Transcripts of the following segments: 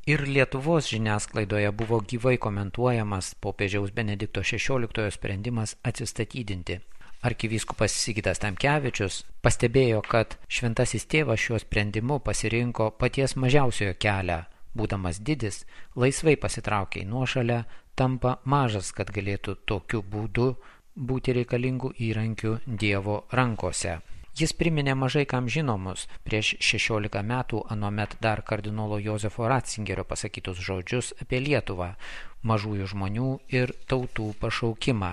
Ir Lietuvos žiniasklaidoje buvo gyvai komentuojamas popiežiaus Benedikto XVI sprendimas atsistatydinti. Arkivyskupas Sigitas Tamkevičius pastebėjo, kad šventasis tėvas šiuo sprendimu pasirinko paties mažiausiojo kelią. Būdamas didis, laisvai pasitraukia į nuošalę, tampa mažas, kad galėtų tokiu būdu būti reikalingų įrankių Dievo rankose. Jis priminė mažai kam žinomus prieš 16 metų anuomet dar kardinolo Jozefo Ratzingerio pasakytus žodžius apie Lietuvą, mažųjų žmonių ir tautų pašaukimą.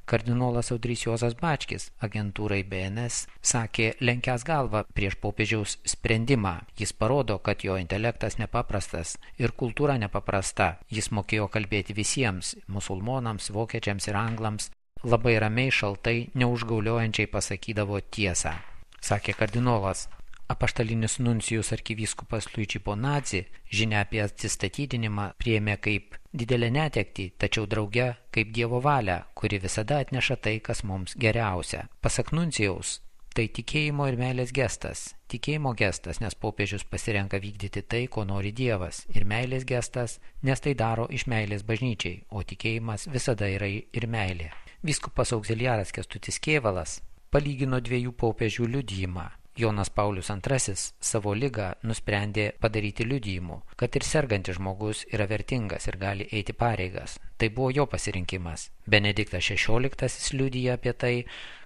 Kardinolas Audrys Juozas Bačkis agentūrai BNS sakė lenkęs galvą prieš popiežiaus sprendimą. Jis parodo, kad jo intelektas nepaprastas ir kultūra nepaprasta. Jis mokėjo kalbėti visiems – musulmonams, vokiečiams ir anglams. Labai ramiai, šaltai, neužgauliojančiai pasakydavo tiesą. Sakė kardinolas. Apaštalinis nuncijus arkivyskupas Luigi Bonazzi žinią apie atsistatydinimą priėmė kaip didelę netektį, tačiau drauge kaip Dievo valią, kuri visada atneša tai, kas mums geriausia. Pasak nuncijaus, tai tikėjimo ir meilės gestas. Tikėjimo gestas, nes popiežius pasirenka vykdyti tai, ko nori Dievas. Ir meilės gestas, nes tai daro iš meilės bažnyčiai, o tikėjimas visada yra ir meilė. Vyskupas auxiliaras Kęstutis Kėvalas palygino dviejų popiežių liudijimą. Jonas Paulius II savo ligą nusprendė padaryti liudijimu, kad ir sergantis žmogus yra vertingas ir gali eiti pareigas. Tai buvo jo pasirinkimas. Benediktas XVI liudija apie tai,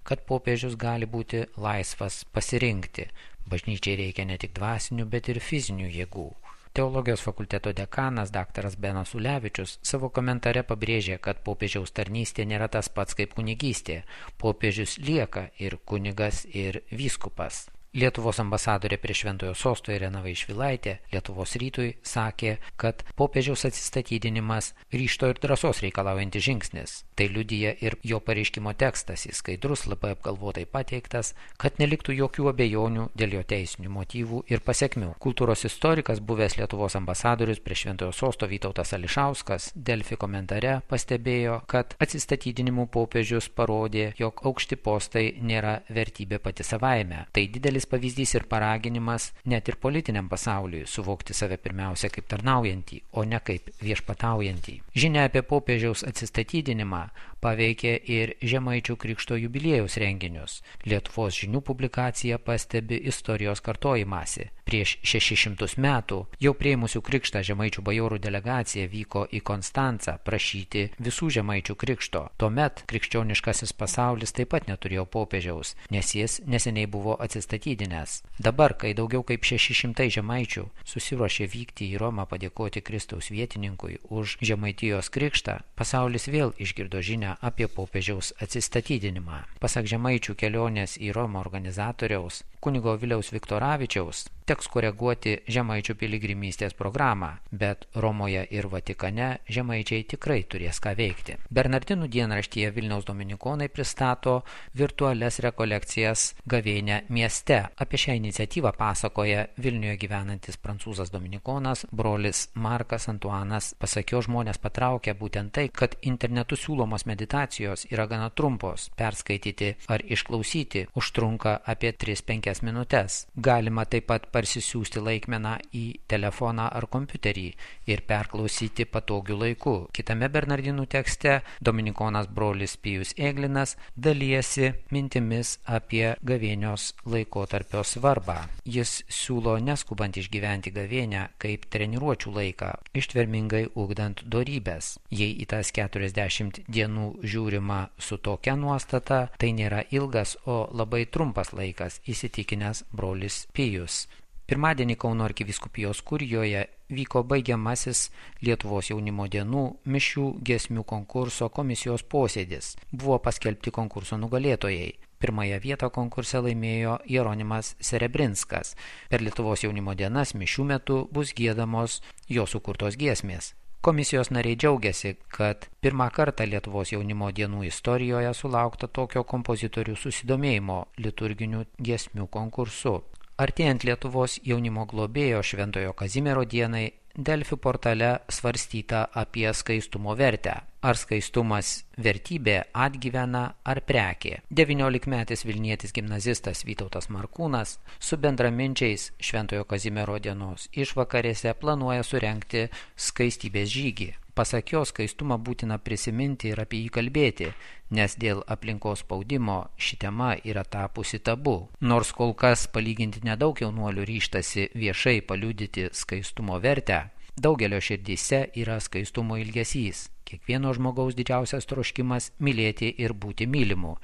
kad popiežius gali būti laisvas pasirinkti. Bažnyčiai reikia ne tik dvasinių, bet ir fizinių jėgų. Teologijos fakulteto dekanas dr. Benas Ulevičius savo komentare pabrėžė, kad popiežiaus tarnystė nėra tas pats kaip kunigystė. Popiežius lieka ir kunigas, ir vyskupas. Lietuvos ambasadorė prie Šventojo sosto Irena Vaišvilaitė Lietuvos rytui sakė, kad popiežiaus atsistatydinimas ryžto ir drąsos reikalaujantis žingsnis. Tai liudija ir jo pareiškimo tekstas, jis skaidrus, labai apgalvotai pateiktas, kad neliktų jokių abejonių dėl jo teisinių motyvų ir pasekmių. Kultūros istorikas, buvęs Lietuvos ambasadorius prie Šventojo sosto Vytautas Ališauskas Delfi komentare pastebėjo, kad atsistatydinimų popiežius parodė, jog aukšti postai nėra vertybė pati savaime. Tai didelis pavyzdys ir paraginimas net ir politiniam pasauliui suvokti save pirmiausia kaip tarnaujantį, o ne kaip viešpataujantį. Žinia apie popiežiaus atsistatydinimą paveikė ir Žemaičių Krikšto jubiliejaus renginius. Lietuvos žinių publikacija pastebi istorijos kartojimąsi. Prieš 600 metų jau priėmusių krikštą Žemaičių bajorų delegacija vyko į Konstancą prašyti visų Žemaičių krikšto. Tuomet krikščioniškasis pasaulis taip pat neturėjo popiežiaus, nes jis neseniai buvo atsistatydinęs. Dabar, kai daugiau kaip 600 žemaičių susiruošė vykti į Romą padėkoti Kristaus vietininkui už Žemaitijos krikštą, pasaulis vėl išgirdo žinią apie popiežiaus atsistatydinimą. Pasak Žemaičių kelionės į Romą organizatoriaus, kunigo Viliaus Viktoravičiaus, teks koreguoti Žemaičių piligrimystės programą, bet Romoje ir Vatikane žemaičiai tikrai turės ką veikti. Bernardinų dienraštyje Vilniaus dominikonai pristato virtualias rekolekcijas gavėnią mieste. Apie šią iniciatyvą pasakoja Vilniuje gyvenantis prancūzas dominikonas brolis Markas Antuanas. Pasak jo, žmonės patraukia būtent tai, kad internetu siūlomos meditacijos yra gana trumpos. Perskaityti ar išklausyti užtrunka apie 3-5 minutes. Galima taip pat parsisiųsti laikmeną į telefoną ar kompiuterį ir perklausyti patogiu laiku. Kitame Bernardinų tekste dominikonas brolis Pijus Eglinas dalijasi mintimis apie gavėnios laikotarpio svarbą. Jis siūlo neskubant išgyventi gavėnią kaip treniruočių laiką, ištvermingai ugdant dorybes. Jei į tas 40 dienų žiūrima su tokia nuostata, tai nėra ilgas, o labai trumpas laikas, įsitikinęs brolis Pijus. Pirmadienį Kauno arkivyskupijos kurijoje vyko baigiamasis Lietuvos jaunimo dienų mišių giesmių konkurso komisijos posėdis. Buvo paskelbti konkurso nugalėtojai. Pirmąją vietą konkurse laimėjo Jeronimas Serebrinskas. Per Lietuvos jaunimo dienas mišių metu bus giedamos jo sukurtos giesmės. Komisijos nariai džiaugiasi, kad pirmą kartą Lietuvos jaunimo dienų istorijoje sulaukta tokio kompozitorių susidomėjimo liturginių giesmių konkursu. Artėjant Lietuvos jaunimo globėjo Šventojo Kazimiero dienai, Delfi portale svarstyta apie skaistumo vertę. ar skaistumas vertybė, atgyvena ar prekė. 19-metis Vilnietis gimnazistas Vytautas Markūnas su bendraminčiais Šventojo Kazimiero dienos išvakarėse planuoja surengti skaistybės žygį. Pasak jo, skaistumą būtina prisiminti ir apie jį kalbėti, nes dėl aplinkos spaudimo ši tema yra tapusi tabu. Nors kol kas palyginti nedaug jaunuolių ryžtasi viešai paliudyti skaistumo vertę, daugelio širdyse yra skaistumo ilgesys. Kiekvieno žmogaus didžiausias troškimas mylėti ir būti mylimu,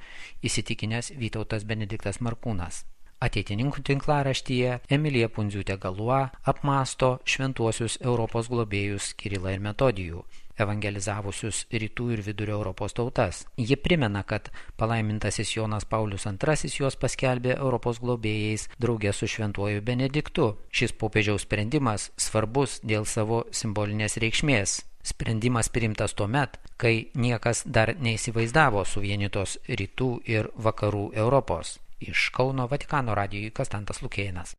įsitikinęs Vytautas Benediktas Markūnas. Ateitininkų tinklaraštyje Emilija Pundziūtė-Galua apmąsto šventuosius Europos globėjus Kirilą ir Metodijų, evangelizavusius rytų ir vidurio Europos tautas. Ji primena, kad palaimintasis Jonas Paulius II juos paskelbė Europos globėjais draugė su šventuoju Benediktu. Šis popiežiaus sprendimas svarbus dėl savo simbolinės reikšmės. Sprendimas priimtas tuomet, kai niekas dar neįsivaizdavo suvienytos rytų ir vakarų Europos. Iš Kauno Vatikano radijui Konstantas Lukėnas.